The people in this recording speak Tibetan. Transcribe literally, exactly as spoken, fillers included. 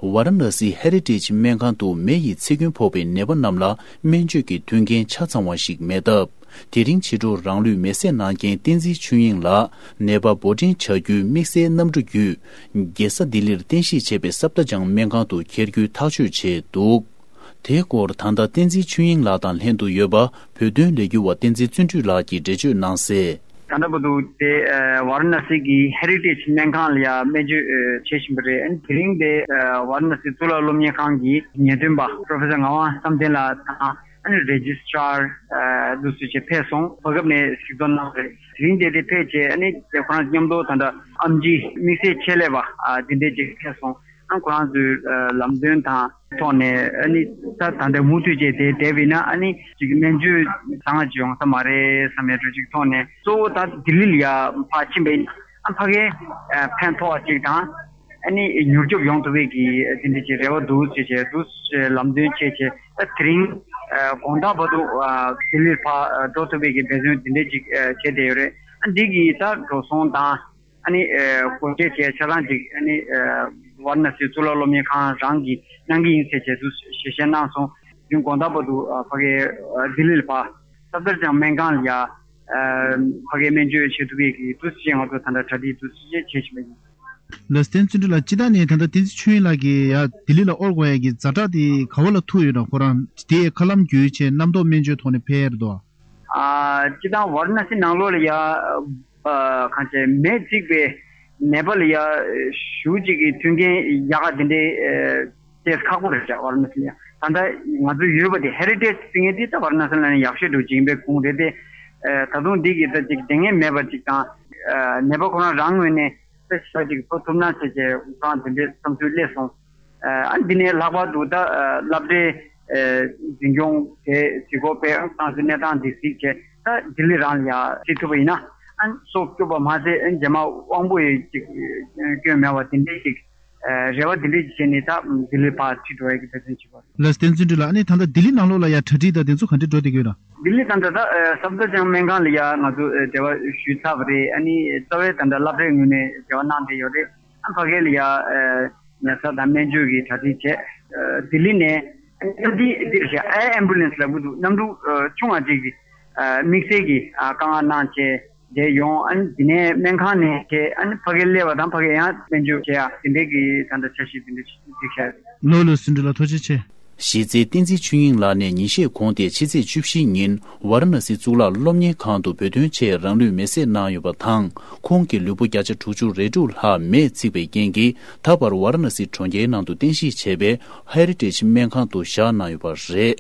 ཝཱ་ར་ཎ་སི་ཧེ་རི་ཊེཇ་སྨན་ཁང་དུ་མེ་ཡི་འཚེ་སྐྱོན་ཕོག་པའི་ནད་པ་རྣམས་ལ་སྨན་བཅོས་ཀྱི་མཐུན་རྐྱེན་ཆ་ཚང་བ་ཞིག་མེད་སྟབས། དེ་རིང་ཕྱི་དྲོ་རང་ལུས་མེ་བསྲེགས་གནང་མཁན་བསྟན་འཛིན་ཆོས་དབྱིངས་ལགས་ནད་པ་འབོར་འདྲེན་བྱ་རྒྱུའི་དམིགས་བསལ་གནམ་གྲུ་བརྒྱུད། རྒྱལ་ས་ལྡི་ལིར་རྟེན་གཞི་བྱས་པའི་སབ་དར་ཇང་སྨན་ཁང་དུ་འཁྱེར་རྒྱུའི་ཐག་གཅོད་བྱས་འདུག། དེའི་སྐོར་ད་ལྟ་བསྟན་འཛིན་ཆོས་དབྱིངས་ལགས་དང་ལྷན་དུ་ཡོད་པ་བོད་དོན་ལས་འགུལ་བ་བསྟན་འཛིན་བརྩོན་འགྲུས་ལགས་ཀྱིས་འགྲེལ་བརྗོད་གནང་གསལ། ད་ལྟ་བར་དུ་དེ་ཝཱ་ར་ཎ་སི་གི་ཧེ་རི་ཊེཇ་སྨན་ཁང་ལ་ཡ་སྨན་བཅོས་བྱེད་བཞིན་པ་རེད། ཨ་ནི་དེ་རིང་དེ་ཝཱ་ར་ཎ་སི་གཙུག་ལག་སློབ་གཉེར་ཁང་གི་ཉེས་དོན་པ་པྲོ་ཕེ་སར་ངག་དབང་བསམ་གཏན་ལགས་དང་། ཨ་ནི་རེ་ཇི་སི་ཊར་འདུག་སེ་བྱས་ཕེབས་སོང་། བར་སྐབས་ནས་གཟིགས་རྟོག་གནང་བ་རེད། དེ་རིང་དེ་དེ་ཕེབས་བྱས། ཨ་ནི་ཁོ་རང་མཉམ་དུ་ད་ལྟ་ཨེམ་ཆི་དམིགས་བསལ་ཆེད་ལས་པ་དེ་འདྲས་ཅིག་ཕེབས་སོང་། ཨ་ཁོ་རང་ཚོའི་ལམ་སྟོན་དང་ཐོག་ནས། ཨ་ནི་ད་ད་ལྟ་མུ་མཐུད་བྱས་དེ་བསྡད་པ་ཡིན་ན། ཨ་ནི་ཅིག་སྨན་བཅོས་བཟང་ཅིག་ཡོང་ས་མ་རེད་བསམ་ཡ་འདྲ་ཅིག་ཐོག་ནས། གཙོ་བོ་ད་ལྡི་ལི་ལ་ཡ་ཕར་ཕྱིན་པ་ཡིན་ན། ཨ་ཕ་གིར་ཕན་ཐོགས་པ་ཅིག་དང་། ཨ་ནི་མྱུར་སྐྱོབ་ཡོང་ཐུབ་པའི་གི་དེ་འདྲ་ཅིག་རེ་བ་འདུག་ཟེར་བྱས་འདུག་ལམ་སྟོན་བྱས་བྱས། ད་དེ་རིང་དགོང་དག་བར་དུ་ལྡི་ལིར་ཕར་འགྲོ་ཐུབ་པའི་གི་འབད་བརྩོན་དེ་འདྲ་ཅིག་བྱས་བསྡད་ཡོད་རེད། ཨ་འདི་གི་ད་འགྲོ་སོང་དང་། ཨ་ནི་ཨ་སྒོ་འབྱེད་བྱས་ཆ་ཚང་ཅིག་ཨ་ནི་ཨ་ཝཱ་ར་ཎ་སི་གཙུག་ལག་སློབ་གཉེར་ཁང་རང་གིས་གནང་གི་ཡིན་ཟེར་བྱས་འདུག་ཞལ་བཞེས་གནང་སོང་། དེ་རིང་དགོང་དག་བར་དུ་ཨ་ཕ་གིར་ཨ་ལྡི་ལི་ལ་ཕར་སབ་དར་ཇང་སྨན་ཁང་ལ་ཡ་ཨ་ཕ་གིར་སྨན་བཅོས་བྱེད་ཐུབ་པའི་གི་འདུག་སེ་ང་ཚོ་ད་ལྟ་གྲ་སྒྲིག་འདུག་སེ་བྱེད་བཞིན་པ་ཡིན། ལགས་སོ། བསྟན་འཛིན་ལགས། སྤྱིར་བཏང་ནས་ད་ལྟ་བསྟན་འཛིན་ཆོས་དབྱིངས་ལགས་ཀྱིས་ཡ་ལྡི་ལི་ལ་དབོར་དགོས་ཡ་གི་ཛ་དྲག་དེ་ག་བ་ལ་ཐུག་ཡོད་ན། ཁོ་རང་དེ་མཁའ་ལམ་བརྒྱུད་བྱས་རྣམ་རྟོག་སྨན་བཅོས་ཐོག་ནས་ཕེབས་ཡ་རེད་དོ། ཨ་སྤྱིར་བཏང་ཝཱ་ར་ཎ་སི་ནང་ལོགས་ལ་ཡ་ཨ་གང་བྱས་མེ་འཚིག་པའི་ནད་པ་ལ་ཡ་ཞེ་ཅིག་གི་མཐུན་རྐྱེན་ཡག་ག་དེ་འདྲའི་ཨ་ཏོག་ཙམ་ཁག་པོ་རེད་ཤག་ཝཱ་ར་ཎ་སི་ལ་ཡ། ད་ལྟ་ང་ཚོ་ཡོད་པ་དེ་ཧེ་རི་ཊེཇ་ཟེར་མཁན་དེ་ད་ཝཱ་ར་ཎ་སི་ལ་ནི་ཡག་ཤོས་འདྲ་ཅིག་ཡིན་པའི་ཁུངས་རེད་དེ། ཨ་ད་དུང་འདི་གི་ད་ཅིག་དེ་སྔ་མེད་པ་ཅིག་དང་། ཨ་ནད་པ་ཁོ་རང་རང་ངོས་ནས་ད་ཞེ་པོ་ཅིག་ཕོག་ཐུབ་ན་ཟེར་བྱས་ཁོ་རང་དེ་འདྲའི་བསམ་ཚུལ་སླེབས་སོང་། ཨ་འདི་ནས་ལྷག་པར་དུ་ད་ཨ་སློབ་གྲྭའི་ཨ་འཛིན་སྐྱོང་དེ་གཟིགས་སྐོར་ཕེབས། ཏང་སྲིད་གནས་སྟངས་འདི་གཟིགས་བྱས། ད་ལྡི་ལི་རང་ལ་ཡ་ཁྲིད་ཐུབ་པ་ཡིན་ན། ཨ་སྲོག་སྐྱོབ་པ་མ་ཟད། ཨ་རྗེས་མ་དབང་པོ་ཡི་ཅིག་སྐྱོན་མེད་པ་དེ་འདྲའི་ཅིག་ཨ་རེ་བ་དེ་འདྲའི་ཅིག་བྱས་ནས་ད་ལྡི་ལི་ཕར་ཁྲིད་འགྲོ་ཡ་གི་འབད་བརྩོན་བྱེད་པ་རེད། ལགས་སོ། བསྟན་འཛིན་ལགས། ཨ་ནི་ད་ལྟ་ལྡི་ལི་ནང་ལོགས་ལ་ཡ་གྲ་སྒྲིག་དང་དེ་ཚོ་ག་འདྲ་འགྲོ་བསྡད་ཀྱི་ཡོད་ན། ལྡི་ལི་ད་ལྟ་ད་ཨ་སབ་དར་ཇང་སྨན་ཁང་ལ་ཡ་ང་ཚོ་ཨ་འབྲེལ་བ་ཞུས་ཚར་བ་རེད། ཨ་ནི་རྩ་བའི་ད་ལྟ་སློབ་གྲྭའི་ངོས་ནས་འབྲེལ་བ་གནང་བསྡད་ཡོད་རེད། ཨ་ཕ་གི་ལ་ཡ་ཨ་ཉལ་ས་དང་སྨན་བཅོས་ཀྱི་གྲ་སྒྲིག་བྱས། ཨ་ལྡི་ལི་ནས་ཨ་འདི་འདིར་བཞག་ཨེར་ཨེམ་བུ་ལན་སི་ལབ་ཀྱི་འདུག་གནམ་གྲུ་ཨ་ཆུང་བ་ཅིག་གིས་ཨ་དམིགས་བསལ་གྱི་ཨ་དཀའ་ངལ་གནང་བྱས་བསྡད་ཡོང་། ཨ་ནི་དེ་ནས་སྨན་ཁང་ནས་བྱས། ཨ་ནི་ཕ་གིར་སླེབས་པ་དང་ཕ་གིར་ཡང་སྨན་བཅོས་བྱེད་ཡ་དེ་འདྲའི་གི་ད་ལྟ་འཆར་གཞི་དེ་འདྲ་ཞིག་བསྒྲིགས་བཞག་ཡོད། ལགས་ལགས་སོ། བསྟན་འཛིན་ལགས་ཐུགས་རྗེ་ཆེ། གཞི་རྩའི་བསྟན་འཛིན་ཆོས་དབྱིངས་ལགས་ནས་ཉིན་ཤས་གོང་སྟེ་ཕྱི་ཚེས་བཅུ་བཞི་ཉིན་ཝཱ་ར་ཎ་སི་གཙུག་ལག་སློབ་གཉེར་ཁང་དུ་བོད་དོན་ཆེད་རང་ལུས་མེ་བསྲེགས་གནང་ཡོད་པ་དང་། ཁོང་གི་ལུས་པོ་བརྒྱ་ཆ་དྲུག་ཅུ་རེ་དྲུག་ལྷག་མེས་ཚིག་པའི་རྐྱེན་གྱིས། ད་བར་ཝཱ་ར་ཎ་སི་གྲོང་ཁྱེར་ནང་དུ་རྟེན་གཞི་བྱས་པའི་ཧེ་རི་ཊེཇ་སྨན་ཁང་དུ་བཞག་གནང་ཡོད་པ་རེད།